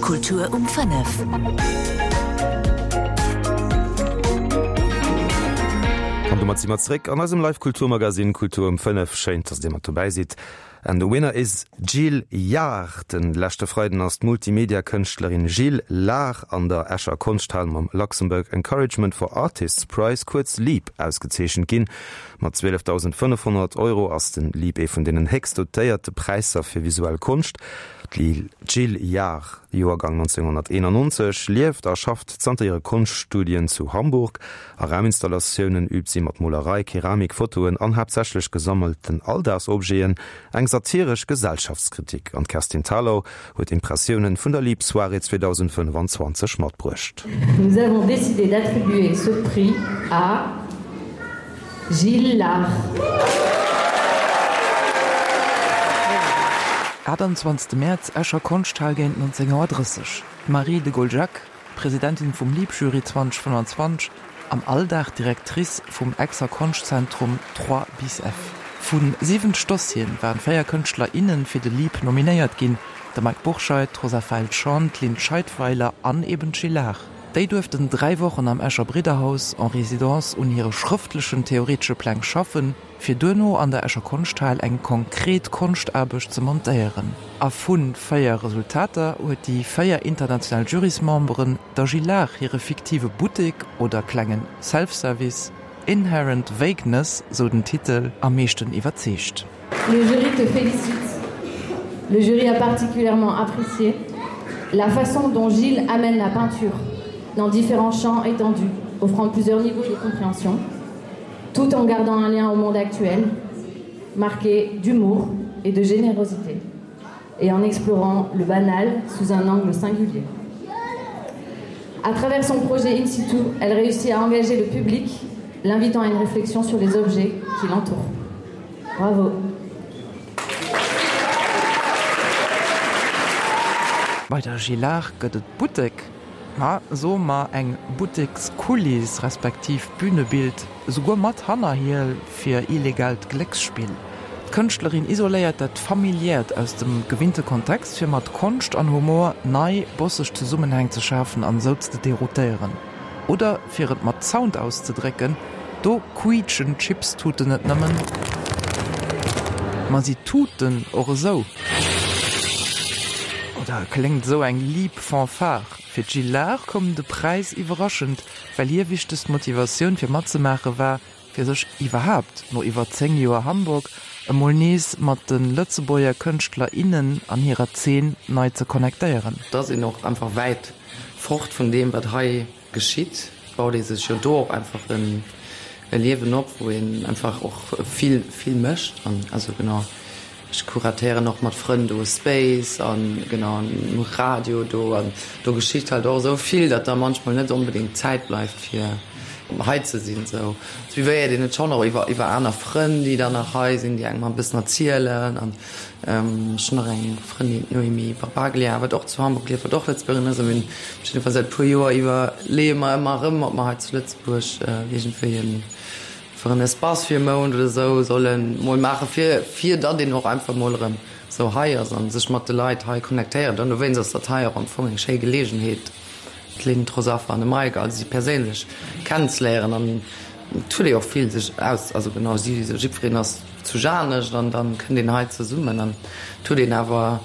Kultur um 5. An domat si mer zréck an eisem Live Kulturmagazine Kultur um 5. Schéin, dass Dir mat dobäi sidd. And the winner is Jill Yahr. Den leschte Freiden ass d'Multimedia-Kënschtlerin Jill Lahr an der Escher Konschthal mam Luxembourg Encouragement for Artists Prize, kuerz LEAP, ausgezeechent ginn. Mat 12.500 Euro ass den LEAP ee vun deenen héchst dotéierte Präisser fir visuell Konscht. D'Jill Yahr, Joergang 1991, lieft a schafft zanter hire Konschtstudien zu Hamburg. A Rauminstallatiounen üübt si mat Molerei, Keramik, Fotoen an haaptsächlech gesammelten Alldagsobjeten eng satiresch Gesellschaftskritik. An d'Kerstin Thalau huet Impressiounen vun der Leap Soirée 2025 matbruecht. Nous avons décidé d'attribuer ce prix à Gilles Lahr. 28 Mäerz, Escher Konschthal géint 19.30 Auer. D'Marie de Goljacq, Presidentin vum Leap-Jury 2025, am Alldag Directrice vum Exer Konschtzentrum Trois bis F. Vu 70 Dossieren waren 4 Kënschtler, innen fir de Leap nominéiert ginn, de Mike Bourscheid, d'Rosa Feil-Schan, d'Lynn Scheidweiler an eben d'Jill Lahr. Déi duerften 3 Wochen am Escher Bridderhaus en Résidence un hire schrëftlechen theoretesche Pläng schaffen, fir duerno an der Escher Konschthal eng konkret Konschtaarbecht ze montéieren. A vu 4 Resultater huet déi 4 international Jurysmemberen der Jill Lahr hire fiktive Buttek oder klengen Self-Service, Inherent Vagueness, sou den Titel, am meeschten iwwerzeegt. Le jury te félicite. Le jury a particulièrement apprécié la façon dont Gilles amène la peinture dans différents champs étendus, offrant plusieurs niveaux de compréhension, tout en gardant un lien au monde actuel, marqué d'humour et de générosité, et en explorant le banal sous un angle singulier. À travers son projet in situ, elle réussit à engager le public, l'invitant à une réflexion sur les objets qui l'entourent. Bravo. Bei der Gilard gëtt et Buttek, ma soe mer eng Buttekskuliss respektiv Bünebild, esouguer mat Hannerhiel fir illegaalt Glécksspill. D'Kënschtlerin isoléiert dat Familiäert aus dem gewinnte Kontext, fir mat Konscht an Humor nei, bosseg Zesummenhäng ze schafen an esou ze deroutéieren. Oder fir et mat Sound auszedrécken, do quiitschen d'Chipstuten net nëmmen, ma si tuten och esou. Oder kléngt esou eng liib Fanfare. Fir d'Jill Lahr koum de Präis iwwerraschend, well hir wichtegst Motivatioun fir matzemaache war, fir sech iwwerhaapt, no iwwer 10 Joer Hamburg, emol nees mat de Lëtzebuerger Kënschtler, innen an hirer Zeen nei ze connectéieren. Et ass een och einfach wäit fort vun deem, wat hei geschitt. Baut ee sech jo do och einfach e Liewen op, wou een einfach och vill, vill mécht. An also genau, ech kuratéieren och mat Frënn do e Space an genau an Radio do. An do geschitt halt och esou vill, datt da manchmol net onbedéngt Zäit bleift fir hei ze sinn. Esou suivéiert een et schonn och iwwer iwwer aner Frënn, déi dann nach hei sinn, déi engem e bëssen erzielen. An Ech hunn nach eng Frëndin, d'Noémie Barbaglia, wat och zu Hamburg lieft, wat och Lëtzebuergerin ass. A mir hunn op jidde Fall säit e puer Joer iwwerleeë mer ëmmer erëm, ob mer hei zu Lëtzebuerg iergendwéi en, einfach en Espace fir e Mount oder esou solle mol maachen, fir, fir datt een och einfach mol erëm esou hei ass a sech mat de Leit hei connectéiert. An dowéinst ass dat hei och am Fong eng schéi Geleegenheet, d'Lynn, d'Rosafa an de Mike, also si perséinlech kennenzeléieren. An et huet ee och vill sech aus, also genau, si, jiddwereen ass zu Janescht an dann kënnt een hei zesummen an et huet een awer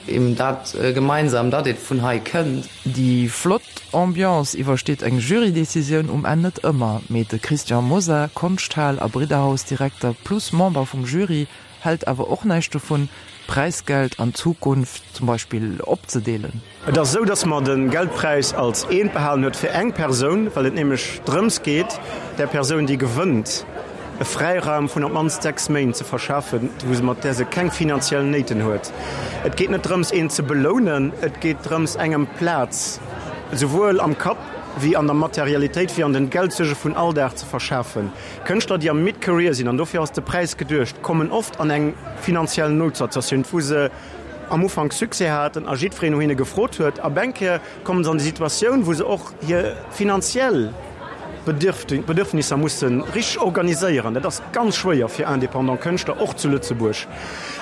eben dat gemeinsam, datt ee vun hei kënnt. Déi flott Ambiance iwwersteet eng Jurydecisioun um Enn net ëmmer, mee de Christian Mosar, Konschthal a Bridderhaus-Direkter plus Member vum Jury, hält awer och näischt dovun, d'Präisgeld an Zukunft zum Beispill opzedeelen. Et ass esou, dass mer de Geldpräis als eent behalen huet fir eng Persoun, well et nämlech drëms geet, där Persoun, déi gewënnt, e Fräiraum vun op d'mannst 6 Méint ze verschafen, wou se, mat där se keng finanziell Néiten huet. Et geet net drëms, een ze belounen, et geet drëms, engem Plaz, souwuel am Kapp wéi an der Materialitéit, wéi an den Geldsuerge vun Alldag ze verschafen. Kënschtler, déi am Mid-Career sinn, an dofir ass de Präis geduecht, kommen oft an eng finanziell Noutsituatioun, wou se, am Ufank Succès haten a jiddwereen no hinne gefrot huet. A beng Kéier kommen se an déi Situatioun, wou se och hir finanziell. d'Bedürfnisser musse richteg organiséieren. Dat ass ganz schwéier fir indépendant Kënschtler, och zu Lëtzebuerg.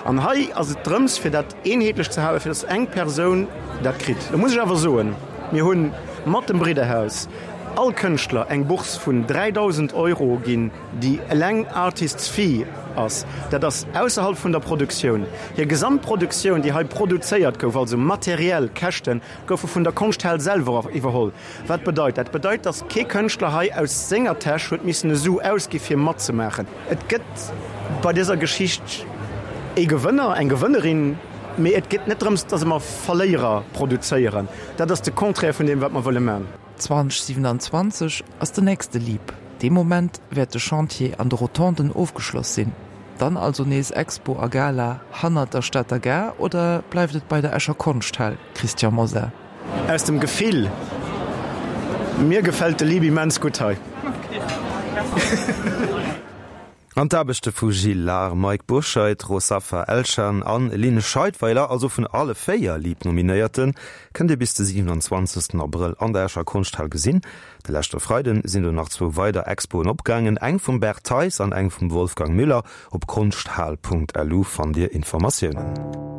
An hei ass et drëms, fir dat eenheetlech ze halen, fir datt eng Persoun dat kritt. Lo muss ech awer soen, mir hu mat dem Bridderhaus all Kënschtler eng Bourse vun 3.000 Euro ginn, déi eleng Artist's Fee ass. Dat ass ausserhalb vun der Produktioun. Hir Gesamtproduktioun, déi hei produzéiert gouf, also materiell Käschten, goufe vun der Konschthal selwer iwwerholl. Wat bedeit dat? Dat bedeit, datt kee Kënschtler hei aus senger Täsch huet missen e Su ausgi fir matzemaachen. Et gëtt bei dëser Geschicht ee Gewënner, eng Gewënnerin, mee et geet net drëms, datt mer Verléierer produzéieren. Dat ass de Contraire vun deem, wat mer wëlle man. 2027 ass den nächste Leap. Dee Moment wäert de Chantier an de Rotonden ofgeschloss sinn. Dann also nees Expo a Gala hannert der Stater Gare oder bleift et bei der Escher Konschthal, Christian Mosar? Aus dem Gefill, Mir gefällt de Lieb immens gutt hei. An d'Aarbechte vu Gilles Lahr, Mike Bourscheid, Rosafa Elchan an Lynn Scheidweiler, also vun alle 4 Lieb-Nominéierten, kënnt Dir bis de 27 Abrëll an der Escher Konschthal gesinn. De leschte Freiden sinn do nach zwou weider Expoen opgaangen, eng vum Bert Theis an eng vum Wolfgang Müller. Op konschthal.lu fannt Dir Informatiounen.